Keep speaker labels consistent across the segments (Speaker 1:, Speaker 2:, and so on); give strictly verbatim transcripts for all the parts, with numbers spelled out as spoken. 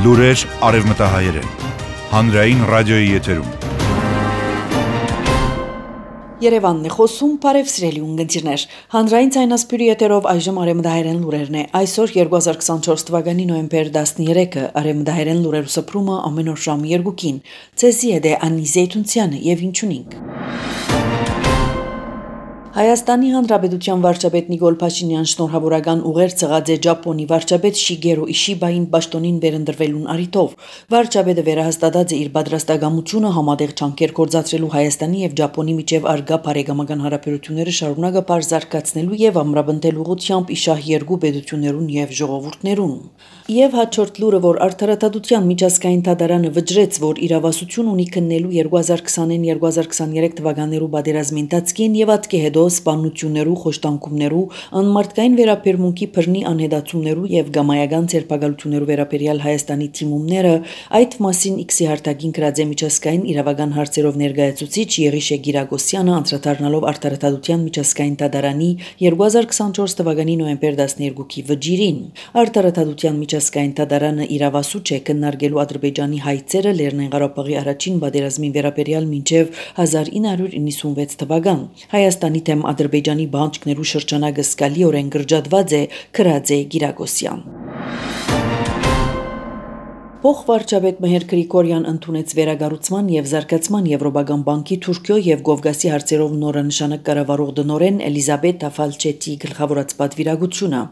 Speaker 1: Լուրեր արևմտահայերեն, հանրային ռադիոյի եթերում։
Speaker 2: Երևանն է խոսում, բարև սիրելի ունգընտիրներ, հանրային ցայնասպյուրի եթերով այժմ արևմտահայերեն լուրերն է, այսօր երկու հազար քսանչորս թվականի նոյեմբեր տասներեքը, արևմտահայերեն լուրերու սփռումը ամեն օր ժամը երկուքին, ցեզի է դե Անի Զեյթունցյանը եւ ինչունինք։ Հայաստանի Հանրապետության վարչապետ Նիկոլ Փաշինյան շնորհավորական ուղեր ցղած է Ճապոնի վարչապետ Շիգերո Իշիբային պաշտոնին վերընտրվելուն առիթով։ Վարչապետը վերահաստատած է իր պատրաստակամությունը համատեղ ջանքեր կործացրելու Հայաստանի եւ Ճապոնի միջև արգա բարեկամական հարաբերությունները շարունակապար զարգացնելու եւ ամրապնդելու ուղղությամբ իշահ երկու պետություններուն եւ ժողովուրդներուն։ Եվ հաջորդ լուրը, որ արդարադատության միջազգային դատարանը վճռեց, որ իրավասություն ունի քննելու երկու հազար քսանին երկու հազար քսաներեք թվականներու պատերազմի ընթացքին եւ ատկե հետո սպանություններու, խոշտանգումներու, անմարտկային վերաբերմունքի բռնի անհետացումներու եւ գամայական ցերպակալություններու վերաբերյալ Հայաստանի թիմումները, այդ մասին X-ի հարտակին գրած է միջազգային իրավական հարցերով ներկայացուցիչ Եղիշե Գիրագոսյանը անդրադառնալով արդարադատության միջազգային դատարանի երկու հազար քսանչորս թվականի նոյեմբեր տասներեքի վճիրին։ Արդարադատության միջազգային դատարանը իրավասու չէ քննարկելու Ադրբեջանի հայցերը Լեռնային Ղարաբաղի առաջին պատերազմին վերաբերյալ մինչև հազար ինը հարյուր իննսունվեց թվական։ Հայաստանի դեմ Ադրբեջանի բանջկներու շրջանակը զգալիորեն կրճատված է, գրած է Գիրագոսյան։ Փոխվարչապետ Մեհեր Գրիգորյան ընդունեց վերագառուցման եւ զարգացման Եվրոպական բանկի Թուրքիո եւ Կովկասի հարցերով նորանշանակ կառավարող դնորեն Էլիզաբեթա Ֆալչետի գլխավորած պատվիրակությունը։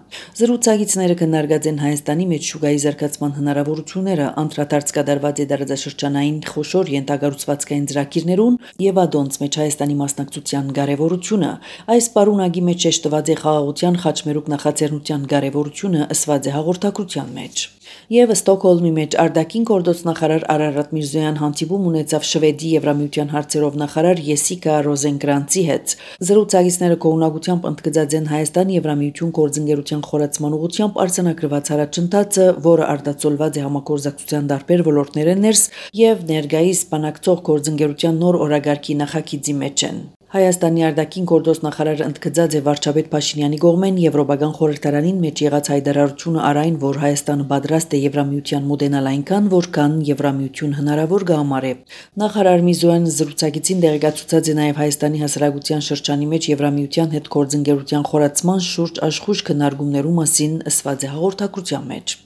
Speaker 2: Զրուցակիցները քննարկած են Հայաստանի մեջ շուկայի զարգացման հնարավորությունները, անդրադարձ կատարված է դարաձաշրջանային խոշոր ենթակառուցվածքային ծրագիրներուն եւ ադոնց մեջ Հայաստանի մասնակցության կարեւորությունը։ Այս պարունակի մեջ շեշտված է խաղաղության խաչմերուկ նախաձեռնության կարեւորությունը, ըսված է հաղորդակցության մեջ։ Եվ Ստոկհոլմի մեջ արտաքին գործնախարար Արարատ Միրզոյան հանդիպում ունեցավ Շվեդի Եվրամիության հարցերով նախարար Եսիկա Ռոզենկրանցի հետ։ Զրուցակիցները կողմնակությամբ ընդգծած են Հայաստան Եվրամիություն գործընկերության խորացման ուղղությամբ արձանագրված առաջընթացը, որը արտացոլված է համագործակցության տարբեր ոլորտներեն ներս եւ ներկայիս բանակցող գործընկերության նոր օրագարկի նախագիծի մեջ են։ Հայաստանի արտաքին գործնախարարը ընդգծած է վարչապետ Փաշինյանի կողմեն Եվրոպական խորհրդարանին մեջ եղած հայտարարությունը արայն, որ Հայաստանը պատրաստ է Եվրամիության մոդենալ այնքան, որքան Եվրամիություն հնարավոր կհամարի։ Նախարար Միրզոյանը զրուցակիցին տեղեկացուցած է նաև Հայաստանի հասարակության շրջանի մեջ Եվրամիության հետ գործընկերության խորացման շուրջ աշխույժ քննարկումներու մասին, ըսված է հաղորդակցության մեջ։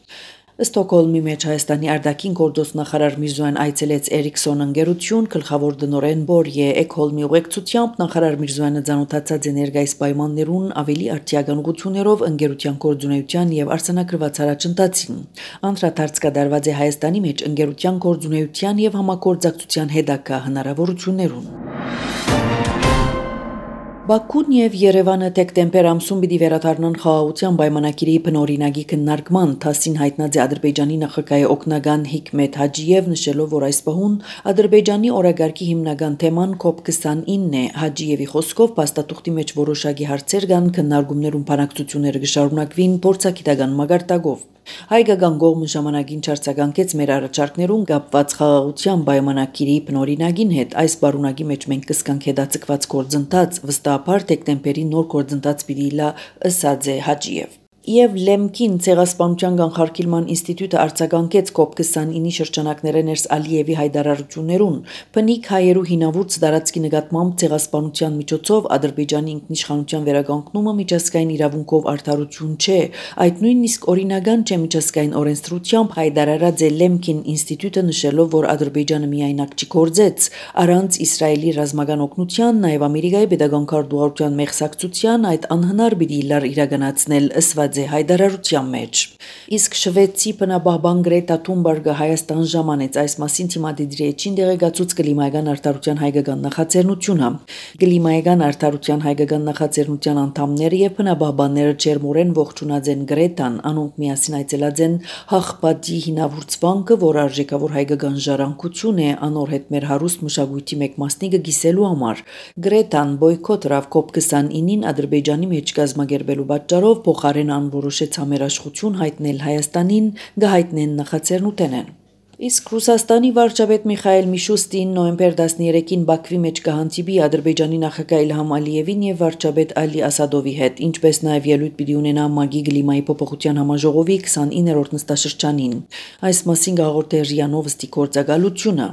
Speaker 2: Ստոկհոլմի մեջ Հայաստանի արտաքին գործնախարար Միրզոյան այցելեց Էրիքսոն ընկերություն, գլխավոր դնորեն Բորյե Էքհոլմի ուղեկցությամբ նախարար Միրզոյանը ծանոթացած է ներկայիս պայմաններուն ավելի արդիական ուղղություններով ընկերության գործունեության եւ արձանագրված առաջընթացին։ Անդրադարձ կատարված է Հայաստանի մեջ ընկերության գործունեության եւ համագործակցության հետագա հնարավորություններուն։ Բաքուն եւ Երևանը դեկտեմբեր ամսում պիտի վերադառնան խաղաղության պայմանագիրի բնօրինակի քննարկման, թասին հայտնած է Ադրբեջանի նախագահի օգնական Հիկմետ Հաջիև, նշելով, որ այս պահուն Ադրբեջանի օրագարկի հիմնական թեման կոպ քսանինն է։ Հաջիևի խոսքով փաստաթուղթի մեջ որոշակի հարցեր կան, քննարկումներում բանակցությունները կշարունակվին փորձագիտական մակարդակով։ Հայկական կողմը ժամանակին չարձագանքեց մեր առաջարկներուն կապված խաղաղության պայմանագիրի բնօրինակին հետ։ Այս բարունակի մեջ մենք կսկանք հետաձգված գործընթաց, վստահաբար դեկտեմբերի նոր գործընթաց պիտի լա, ըսած է Հաջիև։ Եվ Լեմքին ցեղասպանության կանխարգելման ինստիտուտը արձագանքեց կոպ քսանինի շրջանակները ներս Ալիևի հայտարարություններուն։ Բնիկ հայերու հինավուրց տարածքի նկատմամբ ցեղասպանության միջոցով Ադրբեջանի ինքնիշխանության վերականգնումը միջազգային իրավունքով արդարություն չէ, այդ նույնիսկ օրինական չէ միջազգային օրենսդրությամբ հայտարարած է Լեմքին ինստիտուտը, նշելով, որ Ադրբեջանը միայնակ չգործեց առանց Իսրայելի ռազմական օգնության, նաև Ամերիկայի պետական քարտուղարության մեղսակցության այդ անհնար պիտի լար իրականացնել, ըսված է հայտարարության մեջ։ Իսկ շվեդցի բնապահպան Գրետա Թունբերգը Հայաստան ժամանեց այս մասին թիմադիրի էջին տեղեկացուց կլիմայական արդարության հայկական նախաձեռնությունը։ Կլիմայական արդարության հայկական նախաձեռնության անդամները եւ բնապահպանները ջերմորեն ողջունած են Գրետան, անոնք միասին այցելած են Հաղպատի հինավուրց վանքը, որ արժեքավոր հայկական ժառանգություն է, անոր հետ մեր հարուստ մշակույթի մեկ մասնիկը գիսելու համար։ Գրետան բոյքոտ ռավ կոպ քսանինին Ադրբեջանի մեջ կազմակերպելու պատճառով փոխարեն որոշեց համերաշխություն հայտնել Հայաստանին, գահիտնեն նախաձեռնութենեն։ Իսկ Ռուսաստանի վարչապետ Միխայել Միշուստին նոյեմբեր տասներեքին Բաքվի մեջ կհանդիպի Ադրբեջանի նախագահ Իլհամ Ալիևին եւ վարչապետ Ալի Ասադովի հետ, ինչպես նաեւ ելույթ պիտի ունենա ՄԱԳ-ի կլիմայի փոփոխության համաժողովի քսանիններորդ նստաշրջանին։ Այս մասին գաղորդե ՌԻԱ Նովոստի գործակալությունը։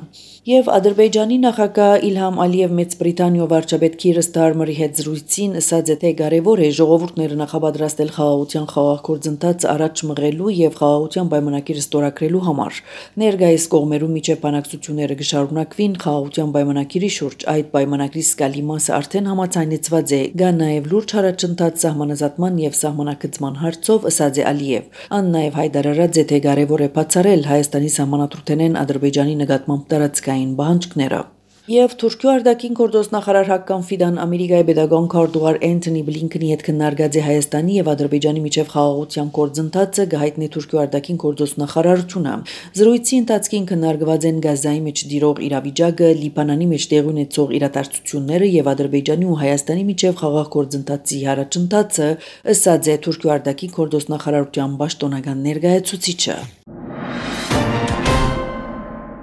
Speaker 2: Եվ Ադրբեջանի նախագահ Իլհամ Ալիև Մեծ Բրիտանիո վարչապետ Քիր Ստարմերի հետ զրույցին ասաց է, թե կարևոր է ժողովուրդները նախապատրաստել խաղաղության խաղաղ գործընթացը առաջ մղելու եւ խաղաղության պայմանագիրը ստորագրելու համար։ Ներկայիս կողմերու միջև բանակցությունները կշարունակվին խաղաղության պայմանագիրի շուրջ, այդ պայմանագրի զգալի մասը արդեն համաձայնեցված է, կա նաև լուրջ առաջընթաց սահմանազատման եւ սահմանակցման հարցով, ասաց է Ալիև։ Ան նաև հայտարարած է, թե կարևոր է բացառել Հայաստանի սահմանադրութենեն Ադրբեջանի նկատմամբ տարածքային պահանջները։ Եվ Թուրքիո արտաքին գործ նախարար Հակկան Ֆիդան Ամերիկայի պետական քարտուղար Էնթոնի Բլինքենի հետ քննարկած է Հայաստանի եւ Ադրբեջանի միջև խաղաղության գործընթացը, գահիտնի Թուրքիո արտաքին գործ նախարարությունը։ Զրույցի ընթացքին քննարկված են Գազայի մեջ դիրող իրավիճակը, Լիբանանի մեջ տեղի ունեցող իրադարձությունները եւ Ադրբեջանի ու Հայաստանի միջև խաղաղ գործընթացի առաջընթացը, ըստ է Թուրքիո արտաքին գործ նախարարության պաշտոնական ներկայացուցիչը։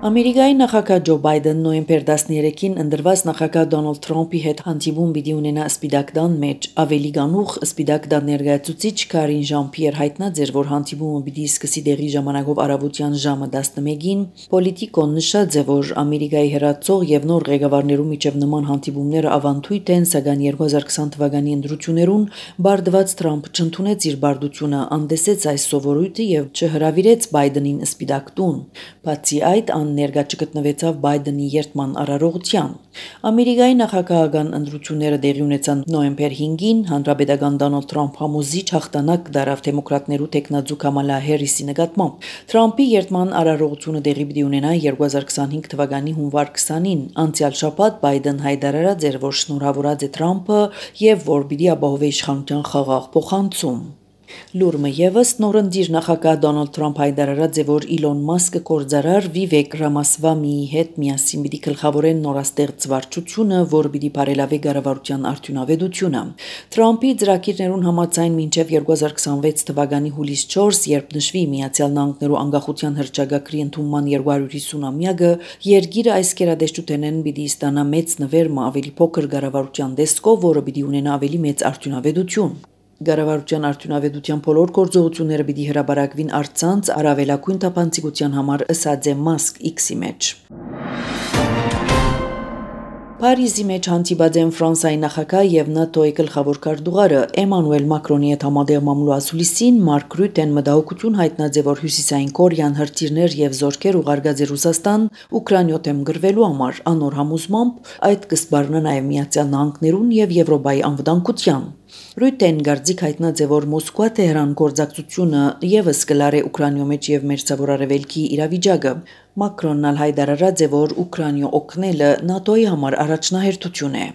Speaker 2: Ամերիկայի նախագահ Ջո Բայդեն նոյեմբեր տասներեքին ընդրված նախագահ Դոնալդ Թրամփի հետ հանդիպում պիտի ունենա Սպիտակ տան մեջ։ Ավելի գանուխ Սպիտակ տան ներկայացուցիչ Կարին Ժան-Պիեր հայտնած էր, որ հանդիպումը պիտի սկսի դեղի ժամանակով առավոտյան ժամը տասնմեկին։ Պոլիտիկոն նշած է, որ Ամերիկայի հերացող եւ նոր ղեկավարներու միջև նման հանդիպումները ավանդույթ են, սակայն երկու հազար քսան թվականի ընտրություններուն բարդված Թրամփը չընդունեց իր բարդությունը, անդեսեց այս սովորույթը եւ չհրավիրեց Բայդենին Սպիտակ տուն։ Բացի այդ, ներկա չգտնվեցավ Բայդենի երթման արարողության։ Ամերիկայի նախագահական ընտրությունները տեղի ունեցան նոյեմբեր հինգին, հանրապետական Դոնալդ Թրամփ համոզիչ հաղթանակ դարավ դեմոկրատներու տեխնացու Կամալա Հերիսի նկատմամբ։ Թրամփի երթման արարողությունը տեղի պիտի ունենա երկու հազար քսանհինգ թվականի հունվար քսանին։ Անցյալ շաբաթ Բայդեն հայտարարած էր, որ շնորհավորած է Թրամփը եւ որ պիտի ապահովի իշխանության խաղաղ փոխանցում։ Լուրը եւս նորընտիր նախագահ Դոնալդ Թրամփ հայտարարած է, որ Իլոն Մասկը կորձարար Վիվեկ Ռամասվամիի հետ միասին պիտի գլխավորեն նորաստեղծ վարչությունը, որը պիտի բարելավի կառավարության արդյունավետությունը։ Թրամփի ծրագիրներուն համաձայն մինչև երկու հազար քսանվեց թվականի հուլիս չորս, երբ նշվի Միացյալ Նահանգներու անկախության հռչակագրի ընդունման երկու հարյուր հիսուն-ամյակը, երկիրը այս կերադեշտութենեն պիտի ստանա մեծ նվերմը ավելի փոքր կառավարության դեսկով, որը պիտի ունենա ավելի մեծ արդյունավետություն։ Կառավարության արդյունավետության բոլոր գործողությունները պիտի հրապարակվին առցանց առավելագույն թափանցիկության համար, ըսած է Մասկ X-ի մեջ։ Փարիզի մեջ հանդիպած են Ֆրանսիայի նախագահ եւ ՆԱՏՕ-ի գլխավոր քարտուղարը Էմանուել Մակրոնի հետ համատեղ մամուլու ասուլիսին Մարկ Ռյուտեն մտահոգություն հայտնած է, որ Հյուսիսային Կորեան հրթիռներ եւ զորքեր ուղարկած է Ռուսաստան Ուկրաինայ դեմ գրվելու համար, անոր համոզմամբ այդ կսպառնա նաեւ Միացյալ Նահանգներուն եւ Եվրոպայի անվտանգության։ Ռյուտեն գարձիկ հայտնած է, որ Մոսկվա-Թեհրան գործակցությունը եւս կլարե Ուկրաինայ մեջ եւ Մերձավոր Արևելքի իրավիճակը։ Մակրոնն ալ հայտարարած է, որ Ուկրաինայ օգնելը ՆԱՏՕ-ի համար առաջնահերթություն է։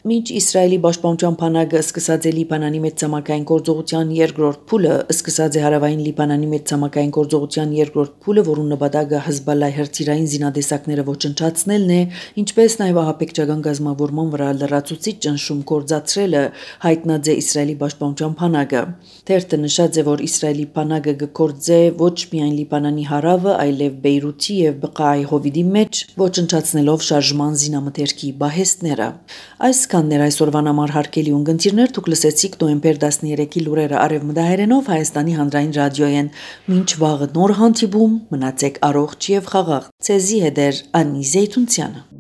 Speaker 2: Մինչ Իսրայելի պաշտպանության բանակը սկսած է Լիբանանի մեջ ցամաքային գործողության երկրորդ փուլը, սկսած է հարավային Լիբանանի մեջ ցամաքային գործողության երկրորդ փուլը, որուն նպատակը Հեզբոլլահի հրթիռային զինադեսակները ոչնչացնելն է, ինչպես նաև ահաբեկչական գազམ-ավորման վրա լրացուցիչ ճնշում գործադրելը, հայտնած է Իսրայելի պաշտպանության բանակը։ Թերթը նշած է, որ Իսրայելի բանակը կգործե ոչ միայն Լիբանանի հարավը, այլև Բեյրութի եւ Բղայի հովիդի մեջ, ոչնչացնելով շարժման զինամթերքի բահեստները։ Այս կաններ այսօրվան համար հարկելի ունգընտիրներ դուք լսեցիք նոյեմբեր տասներեքի լուրերը արևմտահայերենով Հայաստանի հանրային ռադիոյեն։ Մինչ վաղը նոր հանդիպում, մնացեք առողջ եւ խաղաղ։ Ցեզի հետ է Անի Զեյթունցյանը։